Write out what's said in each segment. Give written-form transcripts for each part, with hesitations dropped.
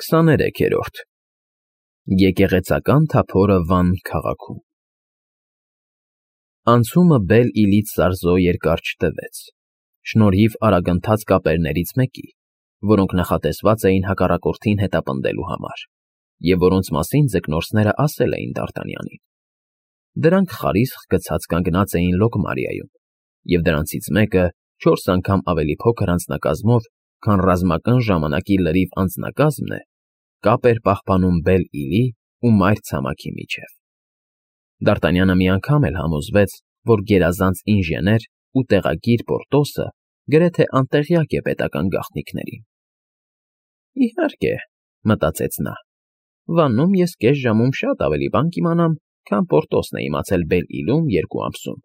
23-րդ Եկեղեցական թափորը Վան քաղաքում Անցումը Բել֊Իլից Սարզո երկար չտևեց, շնորհիվ արագընթաց կապերներից մեկի, որոնք նախատեսված էին հակառակորդին հետապնդելու համար, և որոնց մասին ձկնորսները ասել էին Դ'Արտանյանին։ Դրանք խարիսխ գցած կանգնած էին Լոկմարիայում, և դրանցից մեկը 4 անգամ ավելի փոքր անձնակազմով, քան ռազմական ժամանակի լրիվ անձնակազմն է, կապ էր պահպանում Բել֊Իլի ու մայր ցամաքի միջև։ Դ'Արտանյանը մի անգամ էլ համոզվեց, որ գերազանց ինժեներ ու տեղագիր Պորտոսը գրեթե անտեղյակ է պետական գաղտնիքներին։ Իհարկե, մտածեց նա, Վաննում ես կես ժամում շատ ավելի բան կիմանամ, քան Պորտոսն է իմացել Բել֊Իլում 2 ամսում։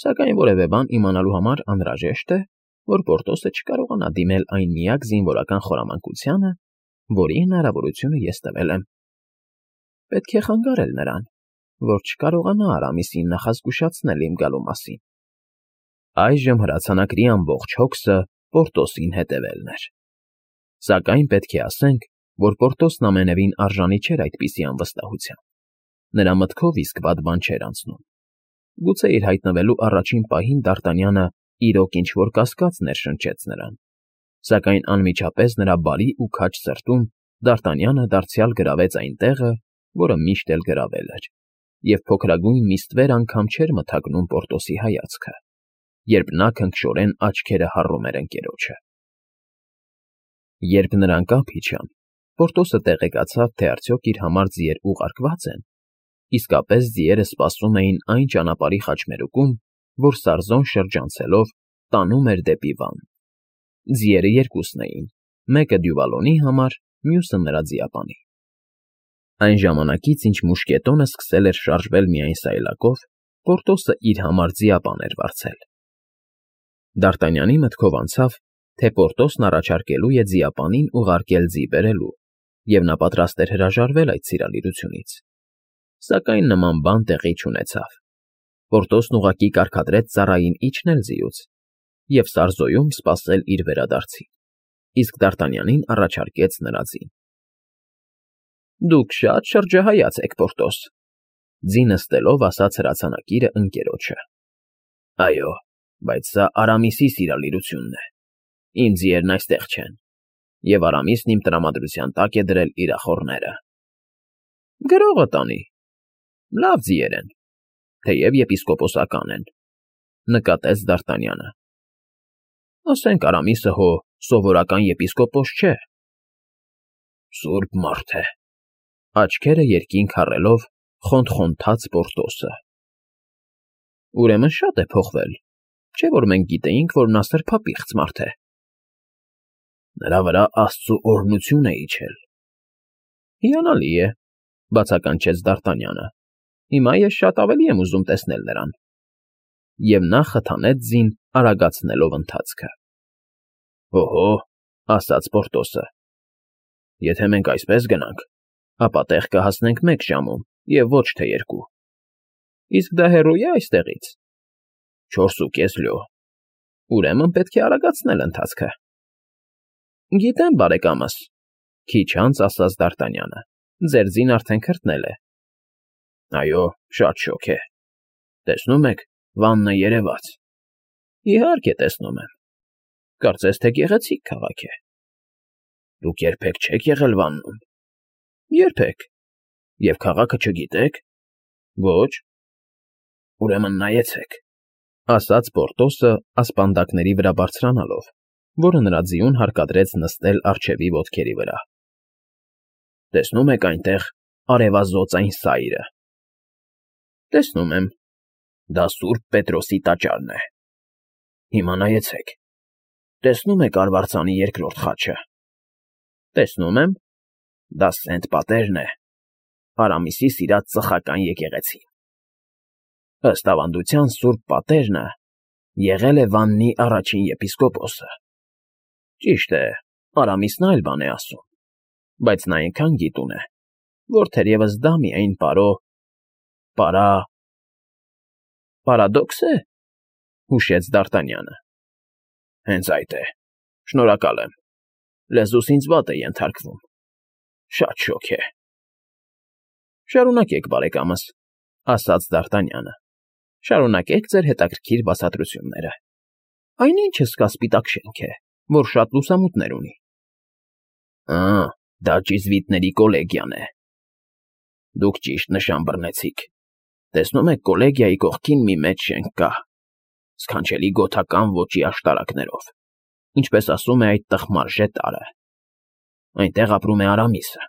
Սակայն որևէ բան իմանալու համար անհրաժեշտ է, որ Պորտոսը չկարողանա դիմել այն միակ զինվորական խորամանկությանը, որի հնարավորությունը ես տվել եմ։ Պետք է խանգարել նրան, որ չկարողանա Արամիսին նախազգուշացնել իմ գալու մասին։ Այժմ հրացանակրի ամբողջ հոգսը Պորտոսին հետևելն էր։ Սակայն պետք է ասենք, որ Պորտոսն ամենևին արժանի չէր այդպիսի անվստահության։ Նրա մտքով իսկ վատ բան չէր անցնում։ Գուցե իր հայտնվելու առաջին պահին Դ'Արտանյանը իրոք ինչ-որ կասկած ներշնչեց նրան, սակայն անմիջապես նրա բարի ու քաջ սրտում Դ'Արտանյանը դարձյալ գրավեց այն տեղը, որը միշտ էլ գրավել էր, և փոքրագույն մի ստվեր անգամ չէր մթագնում Պորտոսի հայացքը, երբ նա քնքշորեն աչքերը հառում էր ընկերոջը։ Երբ նրանք ափ իջան, Պորտոսը տեղեկացավ, թե արդյոք իր համար ձիեր ուղարկվա՞ծ են։ Իսկապես ձիերը սպասում էին այն ճանապարհի խաչմերուկում, որ Սարզոն շրջանցելով տանում էր դեպի Վան։ Ձիերը երկուսն էին, մեկը Դյուվալոնի համար, մյուսը նրա ձիապանի։ Այն ժամանակից, ինչ մուշկետոնը սկսել էր շարժվել միայն սայլակով, Պորտոսը իր համար ձիապան էր վարձել։ Դ'Արտանյանի մտքով անցավ, թե Պորտոսն առաջարկելու է ձիապանին ուղարկել ձի բերելու, և նա պատրաստ էր հրաժարվել այդ սիրալիրությունից։ Սակայն նման բան տեղի չունեցավ։ Պորտոսն ուղղակի կարգադրեց ծառային իջնել ձիուց և Սարզոյում սպասել իր վերադարձին, իսկ Դ'Արտանյանին առաջարկեց նրա ձին։ Դուք շատ շրջահայաց եք, Պորտոս, ձի նստելով ասաց հրացանակիրը ընկերոջը։ Այո, բայց սա Արամիսի սիրալիրությունն է։ Իմ ձիերն այստեղ չեն, և Արամիսն իմ տրամադրության տակ է դրել իր ախոռները։ Գրողը տանի։ Լավ ձիեր են, թեև եպիսկոպոսական են, նկատեց Դ'Արտանյանը։ Ասենք Արամիսը հո սովորական եպիսկոպոս չէ։ Սուրբ մարդ է, աչքերը երկինք հառելով խոնթխոնթաց Պորտոսը։ Ուրեմն շատ է փոխվել, չէ՞ որ մենք գիտեինք, որ նա սրբապիղծ մարդ է։ Նրա վրա Աստծու օրհնություն է իջել։ Հիանալի է, բացականչեց Դ'Արտանյանը։ Հիմա ես շատ ավելի եմ ուզում տեսնել նրան։ Եվ նա խթանեց ձին, արագացնելով ընթացքը։ Օհո, ասաց Պորտոսը, եթե մենք այսպես գնանք, ապա տեղ կհասնենք 1 ժամում և ոչ թե 2։ Իսկ դա հեռո՞ւ է այստեղից։ 4.5 լյո։ Ուրեմն պետք է արագացնել ընթացքը։ Գիտեմ, բարեկամս, քիչ անց ասաց Դ'Արտանյանը, ձեր ձին արդեն քրտնել է։ Այո, շատ շոգ է։ Տեսնում եք, Վանն է երևաց։ Իհարկե տեսնում եմ։ Կարծես թե գեղեցիկ քաղաք է։ Դուք երբեք չեք եղել Վաննում։ Երբեք։ Եվ քաղաքը չգիտեք։ Ոչ։ Ուրեմն նայեցեք, ասաց Պորտոսը ասպանդակների վրա բարձրանալով, որը նրա ձիուն հարկադրեց նստել առջևի ոտքերի վրա։ Տեսնում եք այնտեղ արևազոծ այն սայրը։ Տեսնում եմ։ Դա Սուրբ Պետրոսի տաճարն է։ Հիմա նայեցեք։ Տեսնում եք արվարձանի 2-րդ խաչը։ Տեսնում եմ։ Դա Սենտ Պատերն է, Արամիսի սիրած ծխական եկեղեցին։ Ըստ ավանդության Սուրբ Պատերն եղել է Վաննի առաջին եպիսկոպոսը։ Ճիշտ է, Արամիսն այլ բան է ասում, բայց նա այնքան գիտուն է, որ թերևս դա միայն պարադոքս է, հուշեց Դ'Արտանյանը։ Հենց այդ է։ Շնորհակալ եմ։ Լեզուս ինձ վատ է ենթարկվում։ Շատ շոգ է։ Շարունակեք, բարեկամս, ասաց Դ'Արտանյանը։ Շարունակեք ձեր հետաքրքիր բացատրությունները։ Այնինչս կա սպիտակ շենք է, որ շատ լուսամուտներ ունի։ Դա ճիզվիտների կոլեգիան է։ Դուք ճիշտ նշան բռնեցիք։ Տեսնում եք, կոլեգիայի կողքին մի մեծ շենք կա, սքանչելի գոթական ոճի աշտարակներով, ինչպես ասում է այդ տխմարժե տարը։ Այնտեղ ապրում է Արամիսը։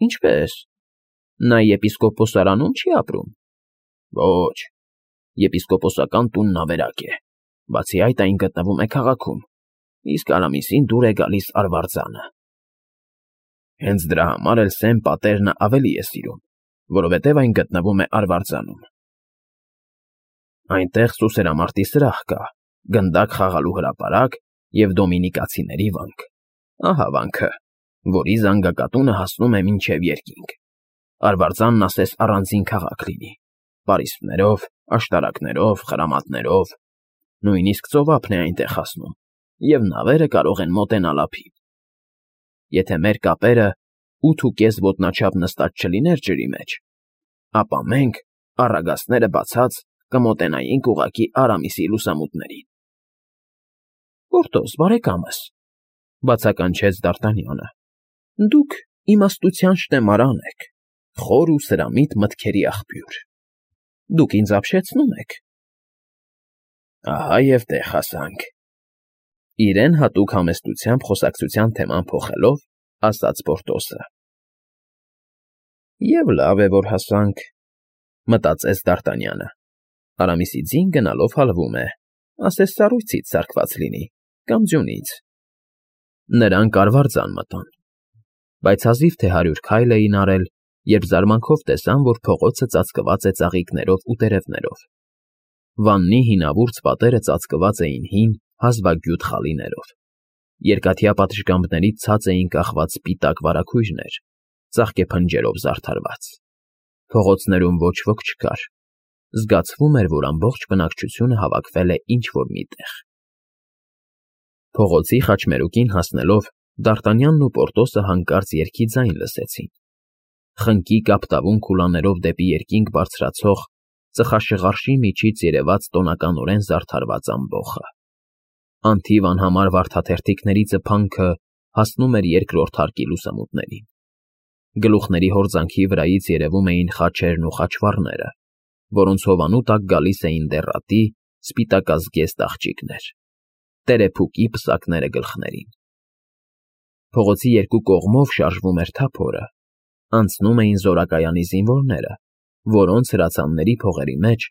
Ինչպե՞ս։ Նա եպիսկոպոսարանում չի ապրում։ Ոչ, եպիսկոպոսական տունն ավերակ է, բացի այդ այն գտնվում է քաղաքում, իսկ Արամիսին դուր է գալիս արվարձանը։ Հենց դրա համար էլ Սեմ պատերն ավելի է սիրում, որովհետև այն գտնվում է արվարձանում։ Այնտեղ սուսերամարտի սրահ կա, գնդակ խաղալու հրապարակ և դոմինիկացիների վանք։ Ահա վանքը, որի զանգակատունը հասնում է մինչև երկինք։ Արվարձանն ասես առանձին քաղաք լինի, պարիսպներով, աշտարակներով, խրամատներով, նույնիսկ ծովափն է այնտեղ հասնում, և նավերը կարող են մոտենալ ափին։ Եթե մեր կապերը 8.5 ոտնաչափ նստած չլիներ ջրի մեջ, ապա մենք, առագաստները բացած, կմոտենայինք ուղղակի Արամիսի լուսամուտներին։ Պորտոս, բարեկամս, բացականչեց Դ'Արտանյանը, դուք իմաստության շտեմարան եք, խոր ու սրամիտ մտքերի աղբյուր։ Դուք ինձ ապշեցնում եք։ Ահա և տեղ հասանք։ Իրեն հատուկ համեստությամբ խոսակցության թեման փոխելով, ասաց Պորտոսը։ Եվ լավ է, որ հասանք, մտածեց Դ'Արտանյանը։ Արամիսի ձին գնալով հալվում է, ասես սառույցից սարքված լինի, կամ ձյունից։ Նրանք արվարձան մտան, բայց հազիվ թե 100 քայլ էին արել, երբ զարմանքով տեսան, որ փողոցը ծածկված է ծաղիկներով ու տերևներով։ Վաննի հինավուրց պատերը ծածկված էին հին, հազվագյուտ խալիներով։ Երկաթյա պատշգամբներից ցած էին կախված սպիտակ վարագույրներ, ծաղկեփնջերով զարդարված։ Փողոցներում ոչ ոք չկար։ Զգացվում էր, որ ամբողջ բնակչությունը հավաքվել է ինչ-որ մի տեղ։ Փողոցի խաչմերուկին հասնելով, Դ'Արտանյանն ու Պորտոսը հանկարծ երգի ձայն լսեցին։ Խնկի կապտավուն քուլաներով դեպի երկինք բարձրացող, ծխաշղարշի միջից երևաց տոնականորեն զարդարված ամբոխը։ Անթիվ անհամար վարդաթերթիկների ծփանքը հասնում էր երկրորդ հարկի լուսամուտներին։ Գլուխների հորձանքի վրայից երևում էին խաչերն ու խաչվառները, որոնց հովանու տակ գալիս էին դեռատի, սպիտակազգեստ աղջիկներ, տերեփուկի պսակները գլխներին։ Փողոցի երկու կողմով շարժվում էր թափորը, անցնում էին զորակայանի զինվորները, որոնց հրացանների փողերի մեջ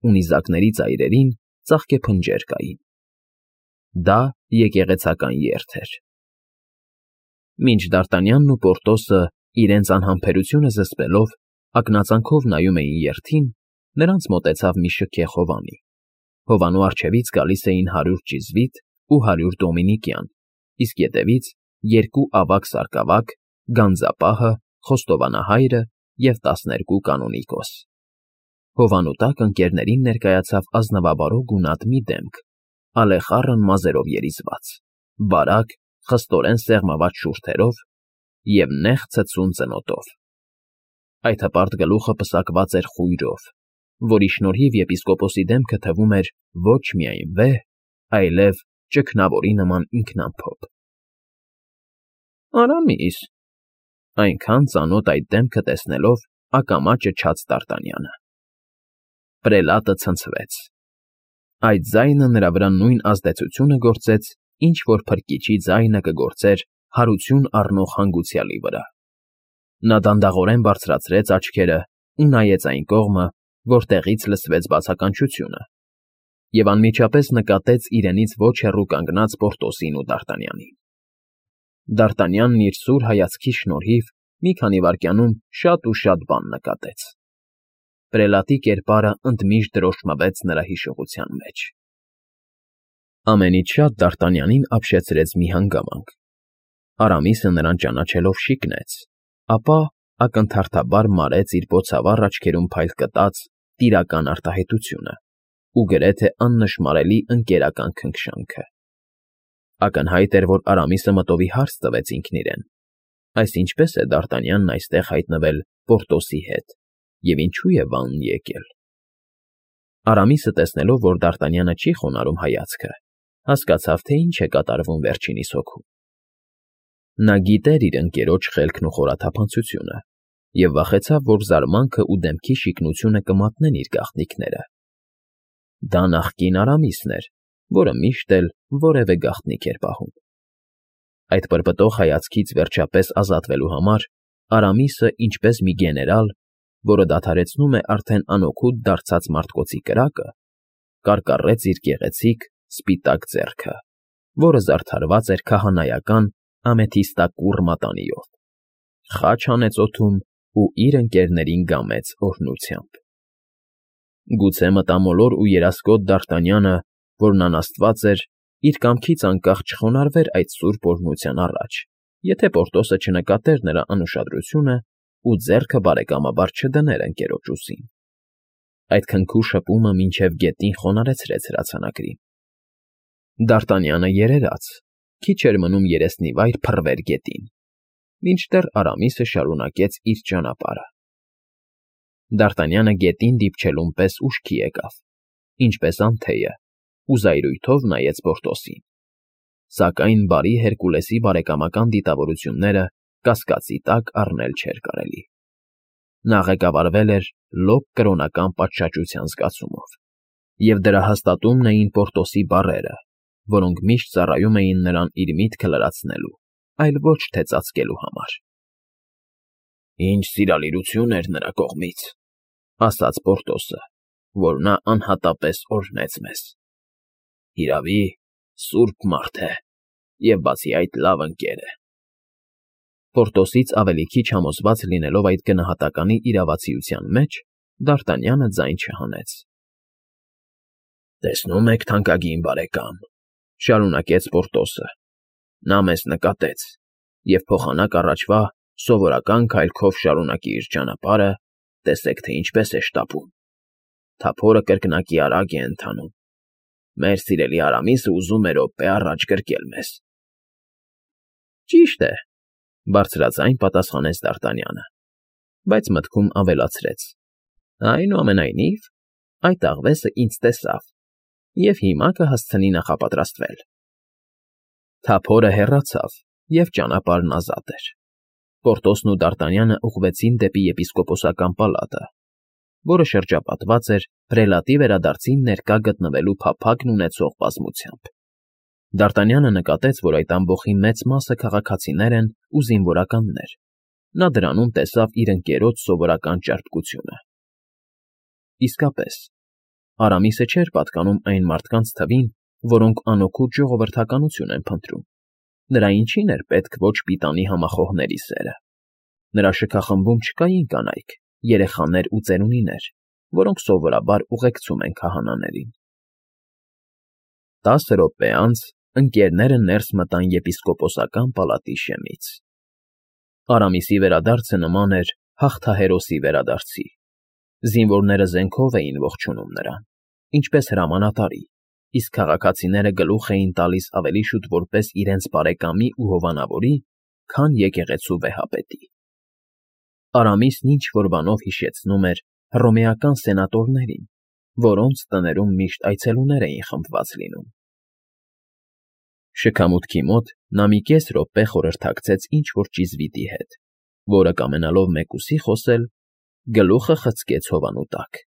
ու նիզակների ծայրերին ծաղկեփնջեր կային։ Դա եկեղեցական երթ էր։ Մինչ Դ'Արտանյանն ու Պորտոսը իրենց անհամբերությունը զսպելով ակնածանքով նայում էին երթին, նրանց մոտեցավ մի շքեղ հովանի։ Հովանու առջևից գալիս էին 100 ճիզվիտ ու 100 դոմինիկյան, իսկ ետևից երկու ավագ սարկավակ, գանձապահը, խոստովանահայրը և 12 կանոնիկոս։ Հովանու տակ ընկերներին ներկայացավ ազնվաբարո գունատ մի դեմք, ալեխառն մազերով երիզված, բարակ, խստորեն սեղմված շուրթերով և նեղ ցցուն ծնոտով։ Այդ հպարտ գլուխը պսակված էր խույրով, որի շնորհիվ եպիսկոպոսի դեմքը թվում էր ոչ միայն վեհ, այլև ճգնավորի նման ինքնամփոփ։ Արամիս, այնքան ծանոթ այդ դեմքը տեսնելով ակամա ճչաց Դ'Արտանյանը։ Պրելատը ցնցվեց։ Այդ ձայնը նրա վրա նույն ազդեցությունը գործեց, ինչ որ փրկիչի ձայնը կգործեր հարություն առնող հանգուցյալի վրա։ Նա դանդաղորեն բարձրացրեց աչքերը ու նայեց այն կողմը, որտեղից լսվեց բացականչությունը, և անմիջապես նկատեց իրենից ոչ հեռու կանգնած Պորտոսին ու Դ'Արտանյանին։ Դ'Արտանյանն իր սուր հայացքի շնորհիվ մի քանի վայրկյանում շատ ու շատ բան նկատեց։ Պրելատի կերպարը ընդմիշտ դրոշմվեց նրա հիշողության մեջ։ Ամենից շատ Դ'Արտանյանին ապշեցրեց մի հանգամանք։ Արամիսը նրան ճանաչելով շիկնեց, ապա ակնթարթաբար մարեց իր բոցավառ աչքերում փայլ կտած տիրական արտահայտությունը ու գրեթե աննշմարելի ընկերական քնքշանքը։ Ակնհայտ էր, որ Արամիսը մտովի հարց տվեց ինքն իրեն, Այս ինչպես է Դարտանյանն այստեղ հայտնվել Պորտոսի հետ, և ինչու է վանն եկել։ Արամիսը տեսնելով, որ Դարտանյանը չի խոնարհում հայացքը, հասկացավ, թե ինչ է կատարվում վերջինիս հոգում։ Նա գիտեր իր ընկերոջ խելքն ու խորաթափանցությունը և վախեցավ, որ զարմանքը ու դեմքի շիկնությունը կմատնեն իր գաղտնիքները։ Դա նախկին Արամիսն էր, որը միշտ էլ որևէ գաղտնիք էր պահում։ Այդ պրպտող հայացքից վերջապես ազատվելու համար Արամիսը, ինչպես մի գեներալ, որը դադարեցնում է արդեն անօգուտ դարձած մարդկոցի կրակը, կարկառեց իր գեղեցիկ, սպիտակ ձեռքը, որը զարդարված էր քահանայական ամեթիստակուռ մատանիով, խաչ հանեց օդում ու իր ընկերներին գամեց օրհնությամբ։ Գուցե մտամոլոր ու երասկոտ Դարտանյանը, որն անաստված էր, իր կամքից անկախ չխոնարհվեր այդ սուրբ օրհնության առաջ, եթե Պորտոսը չնկատեր նրա անուշադրությունը ու ձեռքը բարեկամաբար չդներ ընկերոջ ուսին։ Այդ քնքու շփումը մինչև գետին խոնարհեցրեց հրացանակրին։ Դարտանյանը երերաց, քիչ էր մնում երեսնի վայր փռվեր գետին, մինչդեռ Արամիսը շարունակեց իր ճանապարհը։ Դարտանյանը գետին դիպչելուն պես ուշքի եկավ, ինչպես անթեյը, ու զայրույթով նայեց Պորտոսին, սակայն բարի Հերկուլեսի բարեկամական դիտավորությունները կասկածի տակ առնել չէր կարելի։ Նա ղեկավարվել էր լոկ կրոնական պատշաճության զգացումով, և դրա հաստատումն էին Պորտոսի բառերը, որոնք միշտ ծառայում էին նրան իր միտքը լրացնելու, այլ ոչ թե ծածկելու համար։ «Ինչ սիրալիրություն էր նրա կողմից», ֊ ասաց Պորտոսը, որ նա անհատապես օրհնեց մեզ։ «Հիրավի, սուրբ մարդ է և բացի այդ լավ ընկեր է»։ Պորտոսից ավելի քիչ համոզված լինելով այդ գնահատականի իրավացիության մեջ, Դարտանյանը ձայն չհանեց։ «Տեսնում եք, թանկագին բարեկամ,֊ շարունակեց Պորտոսը,֊ նա մեզ նկատեց և փոխանակ առաջվա սովորական քայլքով շարունակի իր ճանապարհը, տեսեք, թե ինչպես է շտապում։ Թափորը կրկնակի արագ է ընթանում։ Մեր սիրելի Արամիսը ուզում է րոպե առաջ գրկել մեզ»։ «Ճիշտ է,֊ բարձրաձայն պատասխանեց Դարտանյանը, բայց մտքում ավելացրեց. այնուամենայնիվ, այդ աղվեսը ինձ տեսավ և հիմա կհասցնի նախապատրաստվել»։ Թափորը հեռացավ, և ճանապարհն ազատ էր։ Պորտոսն ու Դարտանյանը ուղղվեցին դեպի եպիսկոպոսական պալատը, որը շրջապատված էր պրելատի վերադարձին ներկա գտնվելու փափագն ունեցող բազմությամբ։ Դարտանյանը նկատեց, որ այդ ամբոխի մեծ մասը քաղաքացիներ են ու զինվորականներ։ Նա դրանում տեսավ իր ընկերոջ սովորական ճարպկությունը։ Իսկապես, Արամիսը չէր պատկանում այն մարդկանց թվին, որոնք անօգուտ ժողովրդականություն են փնտրում։ Նրա ինչին էր պետք ոչ պիտանի համախոհների սերը։ Նրա շքախմբում չկային կանայք, երեխաներ ու ծերունիներ, որոնք սովորաբար ուղեկցում են քահանաներին։ 10 րոպե անց ընկերները ներս մտան եպիսկոպոսական պալատի շեմից։ Արամիսի վերադարձը նման էր հաղթահերոսի վերադարձի։ Զինվորները զենքով էին ողջունում նրան, ինչպես հրամանատարի, իսկ քաղաքացիները գլուխ էին տալիս ավելի շուտ որպես իրենց բարեկամի ու հովանավորի, քան եկեղեցու վեհապետի։ Արամիսն ինչ-որ բանով հիշեցնում էր հռոմեական սենատորներին, որոնց տներում միշտ այցելուներ էին խմբված լինում։ Շքամուտքի մոտ նա մի կես րոպե խորհրդակցեց ինչ-որ ճիզվիտի հետ, որը կամենալով մեկուսի խոսել, գլուխը խցկեց հովանու տակ։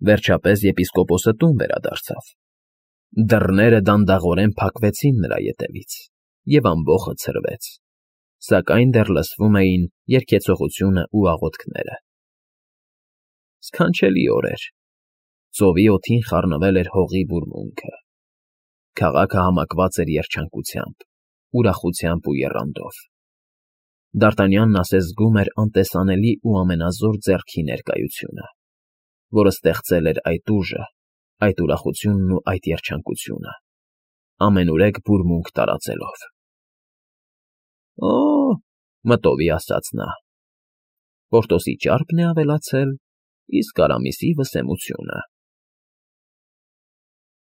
Վերջապես եպիսկոպոսը տուն վերադարձավ։ Դռները դանդաղորեն փակվեցին նրա ետևից, և ամբոխը ցրվեց, սակայն դեռ լսվում էին երգեցողությունը ու աղոթքները։ Սքանչելի օր էր։ Ծովի օդին խառնվել էր հողի բուրմունքը։ Քաղաքը համակված էր երջանկությամբ, ուրախությամբ ու եռանդով։ Դարտանյանն ասես զգում էր անտեսանելի ու ամենազոր ձեռքի ներկայությունը, որը ստեղծել էր այդ ուժը, այդ ուրախությունն ու այդ երջանկությունը, ամենուրեք բուրմունք տարածելով։ «Օ՜,֊ մտովի ասաց նա,֊ Պորտոսի ճարպն է ավելացել, իսկ Արամիսի վսեմությունը»։